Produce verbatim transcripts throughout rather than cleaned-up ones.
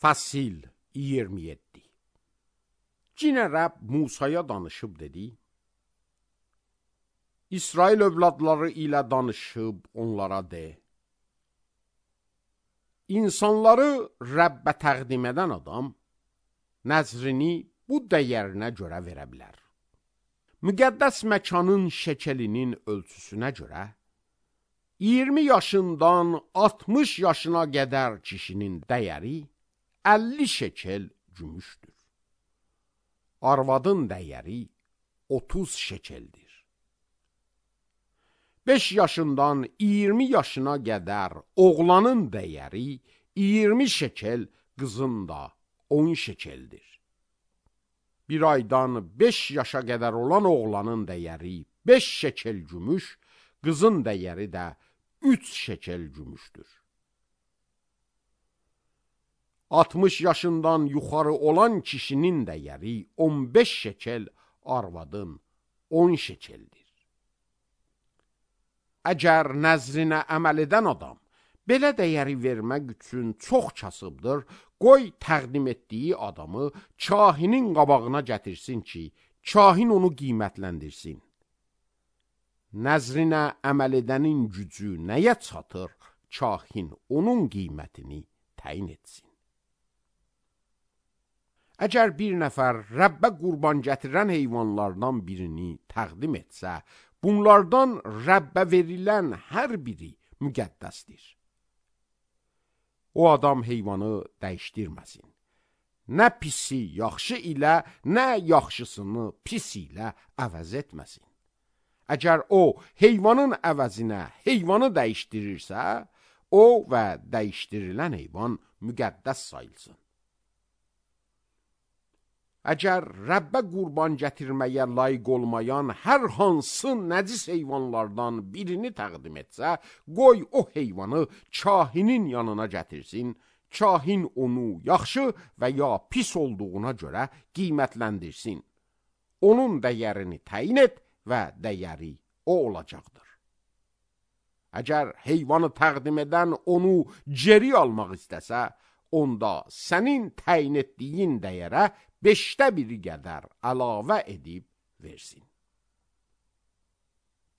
Fəsil iyirmi yeddi. Cinə Rəbb Musaya danışıb dedi: İsrail övladları ilə danışıb onlara de: İnsanları Rəbbə təqdim edən adam nəzrini bu dəyərinə görə verə bilər. Müqəddəs məkanın şəkelinin ölçüsünə görə iyirmi yaşından altmış yaşına qədər kişinin dəyəri əlli şekel gümüşdür. Arvadın dəyəri otuz şekeldir. beş yaşından iyirmi yaşına qədər oğlanın dəyəri iyirmi şekel, qızın da on şekeldir. Bir aydan beş yaşa qədər olan oğlanın dəyəri beş şekel gümüş, qızın dəyəri də üç şekel gümüşdür. altmış yaşından yuxarı olan kişinin dəyəri on beş şekel, arvadın on şekeldir. Əgər nəzrinə əməl edən adam belə dəyəri vermək üçün çox kasıbdır, qoy təqdim etdiyi adamı kahinin qabağına gətirsin ki, kahin onu qiymətləndirsin. Nəzrinə əməl edənin gücü nəyə çatır, kahin onun qiymətini təyin etsin. Əgər bir nəfər Rəbbə qurban gətirən heyvanlardan birini təqdim etsə, bunlardan Rəbbə verilən hər biri müqəddəsdir. O adam heyvanı dəyişdirməsin. Nə pisi yaxşı ilə, nə yaxşısını pis ilə əvəz etməsin. Əgər o heyvanın əvəzinə heyvanı dəyişdirirsə, o və dəyişdirilən heyvan müqəddəs sayılsın. Əgər Rəbbə qurban gətirməyə layiq olmayan hər hansı nəcis heyvanlardan birini təqdim etsə, qoy o heyvanı kahinin yanına gətirsin, kahin onu yaxşı və ya pis olduğuna görə qiymətləndirsin. Onun dəyərini təyin et və dəyəri o olacaqdır. Əgər heyvanı təqdim edən onu geri almaq istəsə, onda sənin təyin etdiyin dəyərə beşdə biri qədər əlavə edib versin.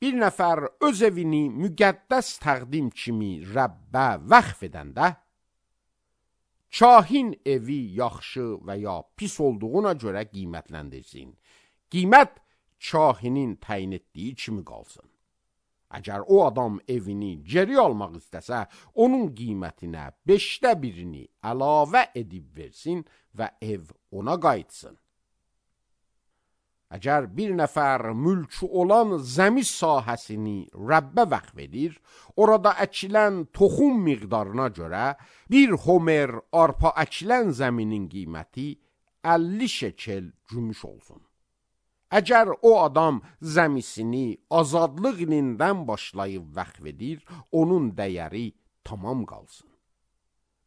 Bir nəfər öz evini müqəddəs təqdim kimi Rəbbə vəqf edəndə, kahin evi yaxşı və ya pis olduğuna görə qiymətləndirsin. Qiymət kahinin təyin etdiyi kimi qalsın. Əgər o adam evini geri almaq istəsə, onun qiymətinə beşdə birini əlavə edib versin və ev ona qayıtsın. Əgər bir nəfər mülkü olan zəmi sahəsini Rəbbə vəqf edir, orada əkilən toxum miqdarına görə bir homer arpa əkilən zəminin qiyməti əlli şekel gümüş olsun. Əgər o adam zəmisini azadlıq ilindən başlayıb vəqf edir, onun dəyəri tamam qalsın.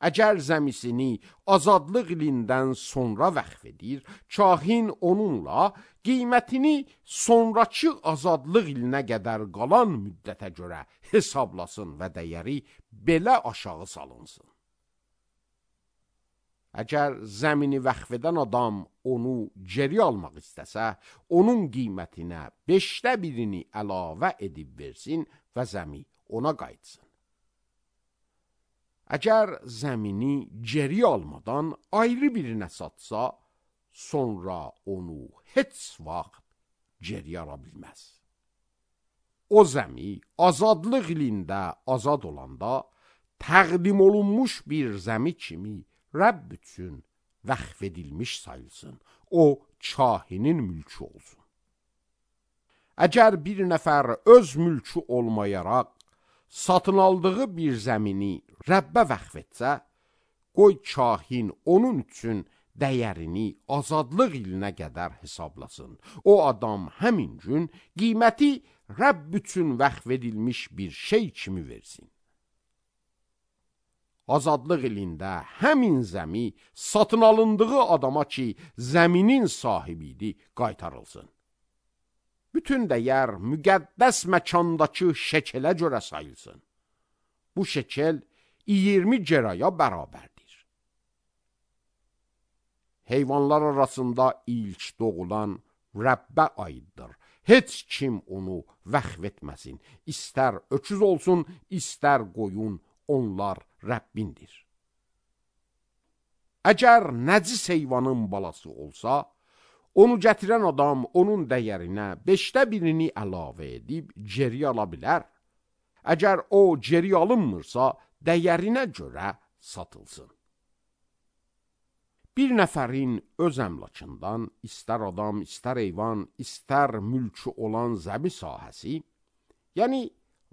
Əgər zəmisini azadlıq ilindən sonra vəqf edir, kahin onunla qiymətini sonrakı azadlıq ilinə qədər qalan müddətə görə hesablasın və dəyəri belə aşağı salınsın. Əgər zəmini vəqf edən adam onu geri almaq istəsə, onun qiymətinə beşdə birini əlavə edib versin və zəmi ona qayıtsın. Əgər zəmini geri almadan ayrı birinə satsa, sonra onu heç vaxt geri ala bilməz. O zəmi azadlıq ilində azad olanda təqdim olunmuş bir zəmi kimi Rəbb üçün vəqf edilmiş sayılsın. O, kahinin mülkü olsun. Əgər bir nəfər öz mülkü olmayaraq satın aldığı bir zəmini Rəbbə vəqf etsə, qoy kahin onun üçün dəyərini azadlıq ilinə qədər hesablasın. O adam həmin gün qiyməti Rəbb üçün vəqf edilmiş bir şey kimi versin. Azadlıq ilində həmin zəmi satın alındığı adama ki, zəminin sahibidir, qaytarılsın. Bütün dəyər müqəddəs məkandakı şekelə görə sayılsın. Bu şekel iyirmi ceraya bərabərdir. heyvanlar arasında ilk doğulan Rəbbə aiddir. Heç kim onu vəxf etməsin. İstər öküz olsun, istər qoyun, onlar Rəbbindir. Əgər nəcis heyvanın balası olsa, onu gətirən adam onun dəyərinə beşdə birini əlavə edib geri ala bilər. Əgər o geri alınmırsa, dəyərinə görə satılsın. Bir nəfərin öz əmlakından, istər adam, istər heyvan, istər mülkü olan zəmi sahəsi, yəni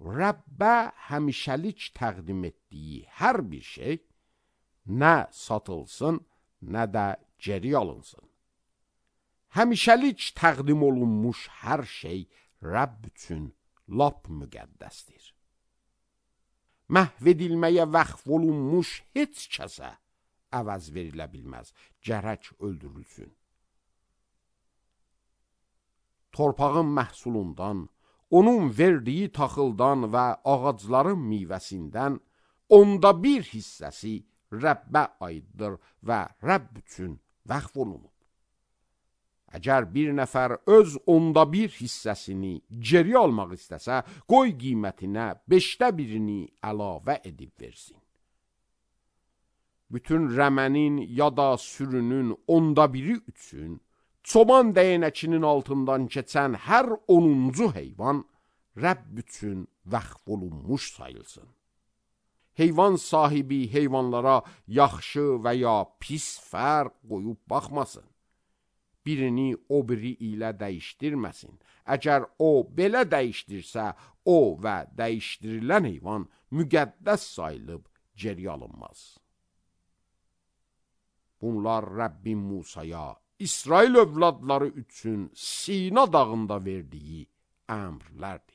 Rəbbə həmişəlik təqdim etdiyi hər bir şey, nə satılsın, nə də geri alınsın. Həmişəlik təqdim olunmuş hər şey Rəbb üçün lap müqəddəsdir. Məhv edilməyə vəqf olunmuş heç kəsə əvəz verilə bilməz, gərək öldürülsün. Torpağın məhsulundan, onun verdiyi taxıldan və ağacların meyvəsindən onda bir hissəsi Rəbbə aiddir və Rəbb üçün vəqf olunub. Əgər bir nəfər öz onda bir hissəsini geri almaq istəsə, qoy qiymətinə beşdə birini əlavə edib versin. Bütün rəmənin ya da sürünün onda biri üçün, çoban dəyənəkinin altından keçən hər onuncu heyvan Rəbb üçün vəqf olunmuş sayılsın. Heyvan sahibi heyvanlara yaxşı və ya pis fərq qoyub baxmasın. Birini o biri ilə dəyişdirməsin. Əgər o belə dəyişdirsə, o və dəyişdirilən heyvan müqəddəs sayılıb geri alınmaz. Bunlar Rəbbin Musaya, İsrail övladları üçün Sina dağında verdiyi əmrlərdir.